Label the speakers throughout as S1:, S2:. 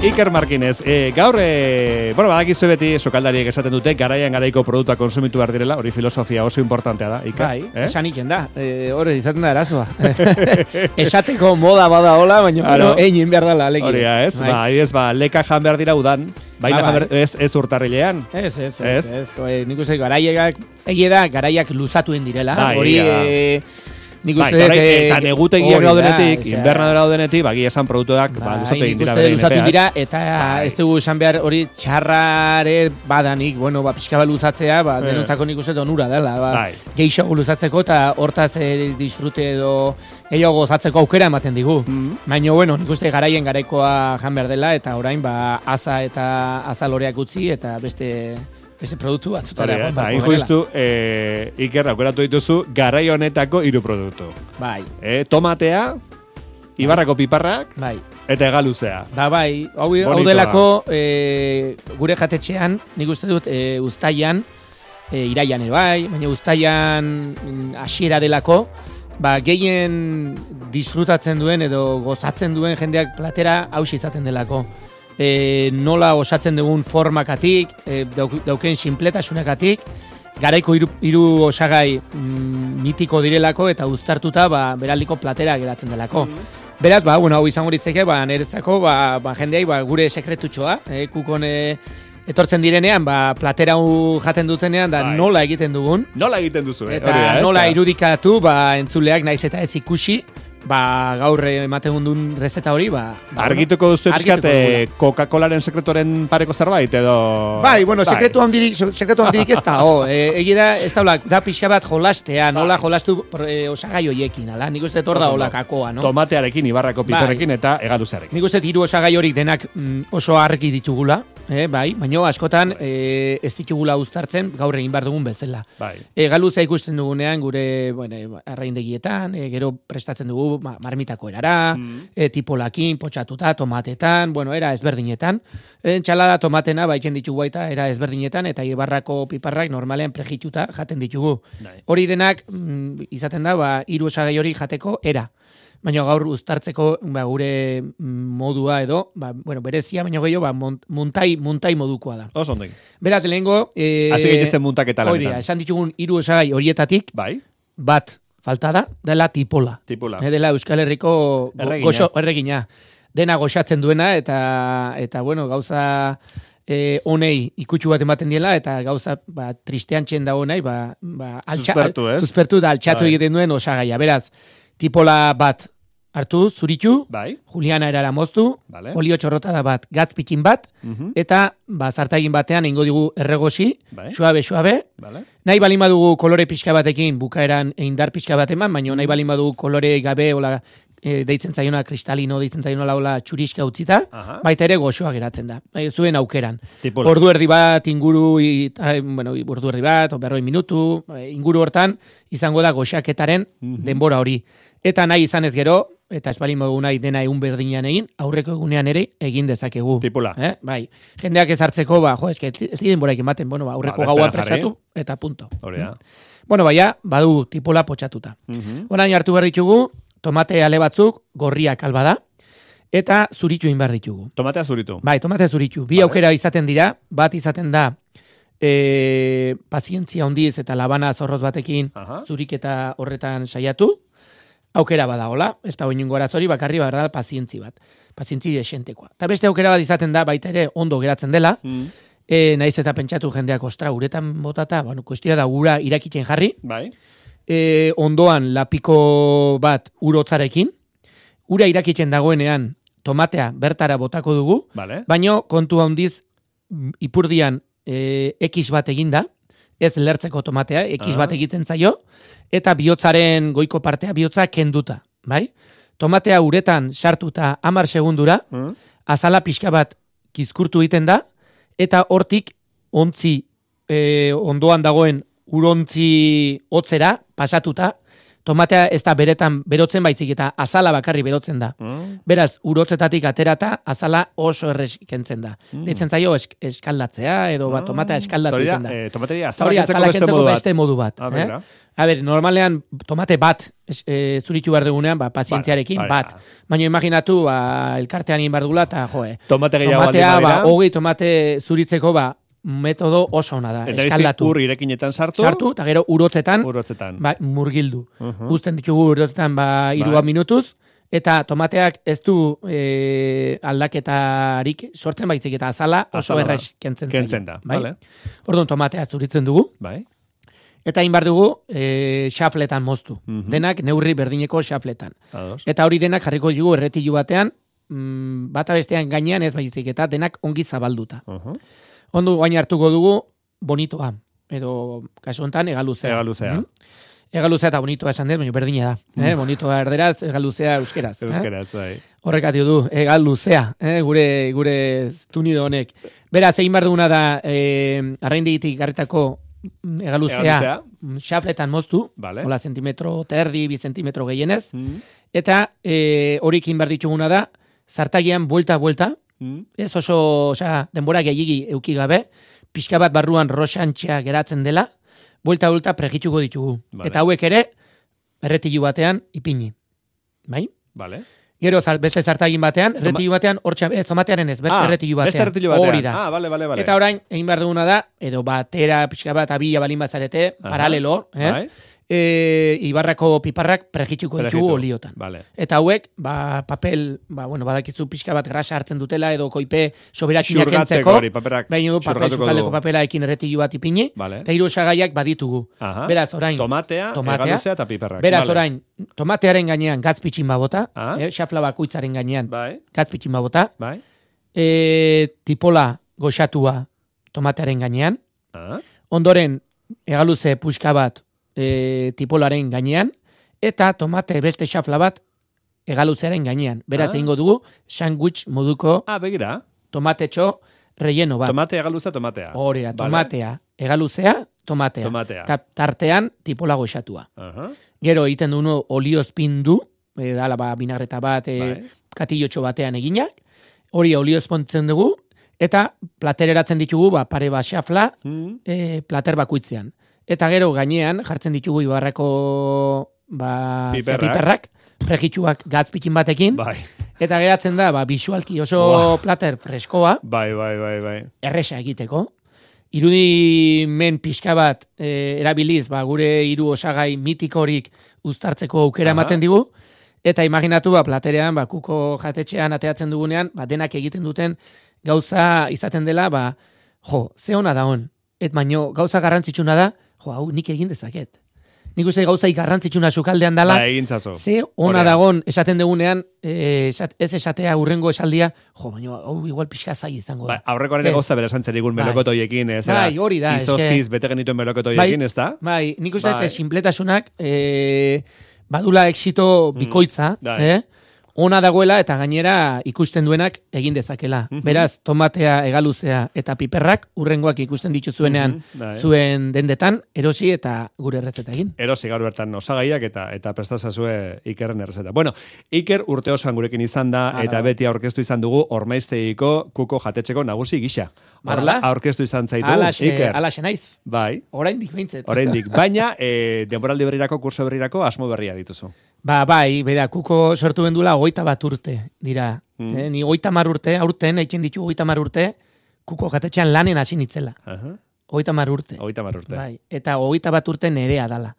S1: Iker Markinez, gaur, badakizu beti sokaldariek esaten dute, garaian garaiko produktua konsumitu behar direla, hori filosofia oso importantea da, Iker.
S2: Bai, esan iken da, hori izaten da arazoa. Esateko moda bada hola, baina egin behar dela, alegia.
S1: Hori ez, leka jan behar dira udan, baina ez urtarrilean.
S2: Ez. Nik uste garaiak, garaiak luzatuen direla, hori...
S1: eta negutegiak daudenetik, invernadora daudenetik, bagi esan produktuak luzatu egin dira.
S2: Luzatu dira, eta ez dugu esan behar hori txarrare badanik, pixka bat luzatzea, denontzako nik uste onura dela, gehiago luzatzeko eta hortaz disfrute edo gehiago gozatzeko aukera ematen digu. Baina, nik uste garaien garaikoa jan behar dela, eta orain, aza eta azaloreak utzi, eta beste produktu batzutara.
S1: Hain justu, Iker, aukeratu dituzu, garai honetako 3 produktu.
S2: Bai.
S1: Tomatea, Ibarrako piparrak, eta hegaluzea.
S2: Hau delako, gure jatetxean, nik uste dut, uztaian, iraian ere baina uztaian hasiera delako, gehien disfrutatzen duen edo gozatzen duen jendeak platera hausi izaten delako. Nola osatzen dugun formakatik, dauken sinpletasunakatik, garaiko 3 osagai mitiko direlako eta uztartuta beraldiko platera geratzen delako. Beraz, hau izango ditzeke, nerezako, jendeai gure sekretutxoa, kukon etortzen direnean, platera jaten dutenean, nola egiten dugun.
S1: Nola egiten duzu,
S2: eta nola irudikatu, entzuleak naiz eta ez ikusi, gaur ematen duen rezeta hori,
S1: argituko duzu pixkat Coca-Colaren sekretuaren pareko zerbait, edo...
S2: sekretu handirik ez da, ez da pixka bat jolastea, nola jolastu osagai hoiekin, nik uste hor da hola kakoa, no?
S1: Tomatearekin, Ibarrako piperrekin eta hegaluzearekin.
S2: Nik uste 3 osagai horik denak oso argi ditugula, baina askotan ez ditugula uztartzen gaur egin behar dugun bezala. Hegaluzea ikusten dugunean gure arraindegietan, gero prestatzen dugu marmitako erara, tipolakin, potxatuta, tomatetan, era ezberdinetan. Txalada tomatena baiken ditugu baita era ezberdinetan, eta Ibarrako piparrak normalean prejituta jaten ditugu. Hori denak izaten da 3 osagai hori jateko era. Baina gaur uztartzeko gure modua edo, berezia, baina gehiago, muntai modukoa da.
S1: Oso ondek.
S2: Beraz, lehengo...
S1: Hasi gaitezen muntaketa lanetan.
S2: Esan ditugun 3 osagai horietatik, bat falta da, dela tipola. Dela Euskal Herriko erregina. Dena goxatzen duena, eta gauza honei ikutsu bat ematen diela, eta gauza tristean txen dago nahi, suspertu da altxatu egiten duen osagaia. Beraz, tipola bat hartu, zuritu, Juliana erara moztu, olio txorrotada bat, gatz pikin bat, eta zartagin batean ingo digu erregosi, suabe, nahi balin badugu kolore pixka batekin, bukaeran indar pixka bat eman, baina nahi balin badugu kolore gabe, deitzen zaiona kristalino, deitzen zaiona laula txuriska utzita, baita ere goxoa geratzen da, zuen aukeran. Ordu erdi bat, ordu erdi bat, 40 minutu, inguru hortan, izango da goxaketaren denbora hori. Eta nahi izanez gero, eta espalin modu nahi dena egun berdinean egin, aurreko egunean ere egin dezakegu.
S1: Tipola.
S2: Jendeak ez hartzeko, ez denboraik ematen, aurreko gaua prestatu, eta punto. Badu tipola potxatuta. Orain hartu behar ditugu, tomate ale batzuk, gorriak albada, eta zuritu egin behar ditugu.
S1: Tomatea zuritu?
S2: Tomatea zuritu. Bi aukera izaten dira, bat izaten da, pazientzia hondiz eta labana zorroz batekin zurik eta horretan saiatu, aukera bada, hola, ez da oinungo arazori, bakarri da pazientzi bat, pazientzi desentekoa. Eta beste aukera bat izaten da, baita ere ondo geratzen dela, naiz eta pentsatu jendeak, ostra, uretan botata, kuestioa da ura irakiten jarri, ondoan lapiko bat urotzarekin, ura irakiten dagoenean tomatea bertara botako dugu, baino kontu handiz ipurdian X bat eginda, ez lertzeko tomatea, X bat egiten zaio, eta bihotzaren goiko partea bihotza kenduta, Tomatea uretan sartuta 10 segundura, azala pixka bat kizkurtu egiten da, eta hortik ontzi ondoan dagoen urontzi hotzera pasatuta, tomatea ez da beretan berotzen baizik eta azala bakarri berotzen da. Beraz, urotzetatik aterata azala oso errez kentzen da. Deitzen zaio eskaldatzea edo tomatea eskaldatu egiten da.
S1: Tomateria azala kentzeko
S2: beste modu bat. Normalean tomate bat zuritu behar dugunean, pazientziarekin bat. Baina imaginatu, elkartean egin behar dugula, eta tomatea, hogei tomate zuritzeko, metodo oso ona da, eskaldatu.
S1: Eta ur irekinetan sartu,
S2: eta gero urotzetan. Murgildu. Uzten ditugu urotzetan 3 minutuz, eta tomateak ez du aldaketarik sortzen baizik eta azala oso errez kentzen
S1: da.
S2: Orduan tomatea zuritzen dugu. Eta hain behar dugu xafletan moztu. Denak neurri berdineko xafletan. Eta hori denak jarriko dugu erretilu batean, bata bestean gainean ez baizik eta denak ongi zabalduta. Ondo gain hartuko dugu bonitoa, edo kasu honetan egaluzea. Egaluzea eta bonitoa esan dut, baina berdina da. Bonitoa erderaz, egaluzea euskeraz. Horrek atio du, egaluzea, gure tunido honek. Beraz, egin behar duguna da, arraindigitik garritako egaluzea xafletan moztu, hola zentimetro terdi, 2 zentimetro gehienez, eta horikin behar dituguna da, zartagian buelta, ez oso denbora gehiagi euki gabe, pixka bat barruan roxantxea geratzen dela, buelta pregituko ditugu. Eta hauek ere, erretilu batean ipini. Bai? Gero beste zartagin batean, erretilu batean, tomatearen ez, beste erretilu batean. Hori da. Eta orain, egin behar duguna da, edo batera, pixka bat, abila balin batzarete, paralelo, Ibarrako piparrak pregituko ditugu oliotan. Eta hauek, papel, badakizu pixka bat grasa hartzen dutela, edo koipe soberakinak entzeko, baina papel sukaldeko papela ekin erretilu bat ipini, eta 3 osagaiak baditugu. Beraz, orain,
S1: tomatea, egaluzea eta piparrak.
S2: Beraz, orain, tomatearen gainean gazpitxin babota, xafla bakuitzaren gainean gazpitxin babota, tipola goxatua tomatearen gainean, ondoren, egaluze puxka bat tipolaren gainean, eta tomate beste xafla bat egaluzearen gainean. Beraz, egingo dugu, sandwich moduko tomatetxo relleno bat.
S1: Tomate, egaluzea, tomatea.
S2: Horea, tomatea, egaluzea, tomatea. Ta tartean tipola goxatua. Gero egiten dugu oliozpindu, dala binagreta bat, katillotxo batean eginak, hori oliozpontzen dugu, eta platereratzen ditugu, pare bat xafla, plater bakuitzean. Eta gero gainean jartzen ditugu Ibarrako piperrak, pregituak gazpikin batekin, eta geratzen da, bisualki oso plater freskoa, erresa egiteko. Irudimen pixka bat erabiliz, gure 3 osagai mitikorik uztartzeko aukera ematen digu, eta imaginatu platerean, kuko jatetxean ateatzen dugunean, denak egiten duten gauza izaten dela, ze ona da hon, et baino gauza garrantzitsuna da, hau nik egin dezaket. Nik uste gauzai garrantzitsuna sukaldean dela, ze ona dagon esaten dugunean, ez esatea urrengo esaldia, baina hau igual pixka zai izango da.
S1: Aurrekoaren gauza bera santzerigun melokotoiekin,
S2: hori da.
S1: Izozkiz bete genituen melokotoiekin, ez da?
S2: Nik uste sinpletasunak badula exito bikoitza, ona dagoela eta gainera ikusten duenak egin dezakela. Beraz, tomatea, egaluzea eta piperrak urrengoak ikusten dituzuenean zuen dendetan, erosi eta gure errezeta egin.
S1: Erosi gaur bertan osagaiak eta prestazazue Ikerren errezeta. Bueno, Iker urte osoan gurekin izan da eta beti aurkeztu izan dugu Ormaiztegiko kuko jatetxeko nagusi gisa. Aurkeztu izan zaitu, Iker.
S2: Alaxe naiz.
S1: Bai.
S2: Oraindik behintzet.
S1: Baina, denboraldi berrirako, kurso berrirako, asmo berria dituzu.
S2: Bai, kuko sortu bendula 21 urte dira. Ni 30 urte, aurten, eitzen ditu 30 urte, kuko jatetxean lanen hasi nitzela. 30 urte.
S1: 30 urte.
S2: Bai, eta 21 urte nerea dala.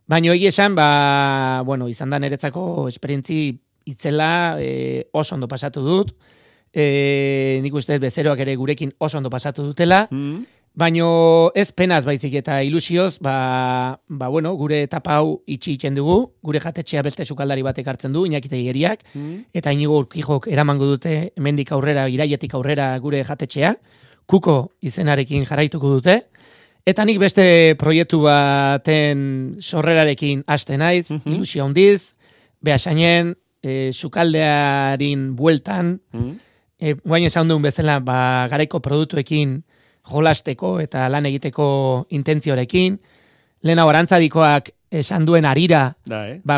S2: Baina hori esan, izan da niretzako esperientzi itzela oso ondo pasatu dut. Nik uste bezeroak ere gurekin oso ondo pasatu dutela. Baina ez penaz baizik eta ilusioz, gure etapa hau itxi iten dugu, gure jatetxea beste sukaldari batek hartzen du, Iñaki Teigeriak, eta Inigo Urquijok eramango dute hemendik aurrera, iraietik aurrera gure jatetxea, kuko izenarekin jarraituko dute, eta nik beste proiektu baten sorrerarekin haste naiz, ilusio handiz, behasainen, sukaldearin bueltan, guain esan duen bezala, garaiko produktuekin jolasteko eta lan egiteko intentziorekin. Lehena Arantzadikoak esan duen arira,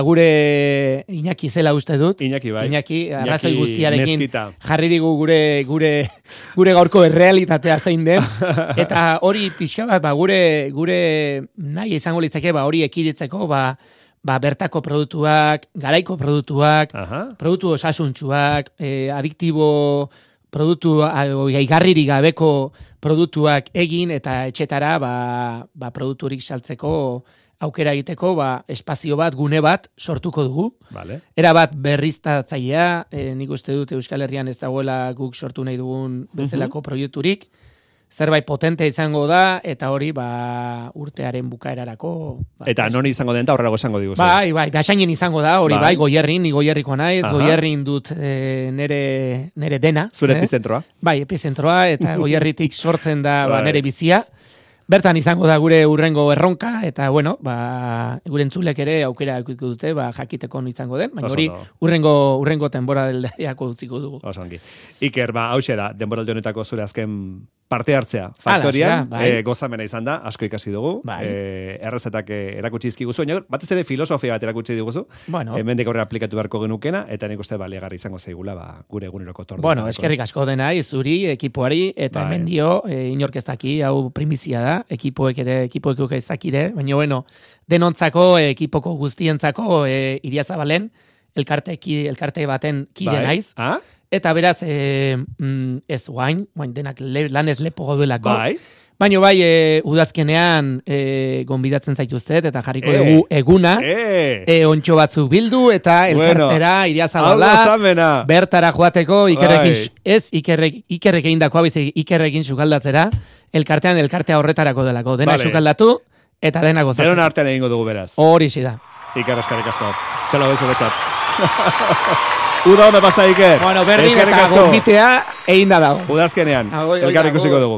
S2: gure Iñaki zela uste dut. Iñaki, arrazoi guztiarekin jarri digu gure gaurko errealitatea zein den. Eta hori pixka bat, gure nahi izango litzake, hori ekiditzeko, bertako produktuak, garaiko produktuak, produktu osasuntsuak, adiktibo produktu gaigarririk gabeko produktuak egin eta etxetara produkturik saltzeko aukera egiteko espazio bat, gune bat sortuko dugu. Era bat berriztatzailea, nik uste dut Euskal Herrian ez dagoela guk sortu nahi dugun bezalako proiekturik. Zerbait potente izango da, eta hori urtearen bukaerarako.
S1: Eta non izango den, eta horrelago izango diguzu.
S2: Bai, Basainen izango da, hori Goierrin, ni Goierriko naiz, Goierrin dut nere dena.
S1: Zure epizentroa.
S2: Bai, epizentroa, eta Goierritik sortzen da nere bizia. Bertan izango da gure urrengo erronka, eta gure entzulek ere aukera eukiko dute, jakiteko izango den, baina hori urrengo denboraldiako utziko dugu.
S1: Osongi. Iker, hauxe da, denboraldi honetako zure azken parte hartzea. Faktorian, gozamena izan da, asko ikasi dugu, errezetak erakutsi izkiguzu, batez ere filosofia bat erakutsi diguzu, hemendik aurrera aplikatu beharko genukena, eta nik uste baliagarri izango zaigula, gure eguneroko tordu.
S2: Eskerrik asko dena, zuri, ekipoari, eta hemen dio, inork ez daki, hau primizia da, ekipoek ez dakide, baina denontzako, ekipoko guztientzako, Iriazabalen, elkarte baten kide naiz, eta beraz, ez guain denak lanez lepo goduelako, baina udazkenean gonbidatzen zaituztet, eta jarriko dugu eguna, ontxo batzuk bildu, eta elkartera Iriazabala, bertara joateko, Ikerrek egin dakoa, Ikerrekin sukaldatzera, elkartea horretarako delako. Dena sukaldatu, eta dena gozatzen.
S1: Denon artean egingo dugu beraz.
S2: Hori da.
S1: Iker, eskerrik asko. Txalo bezu betzat. Uda honda pasa, Iker.
S2: Berdin eta gombitea egin da dago.
S1: Udazkenean, elkarrik usiko dugu.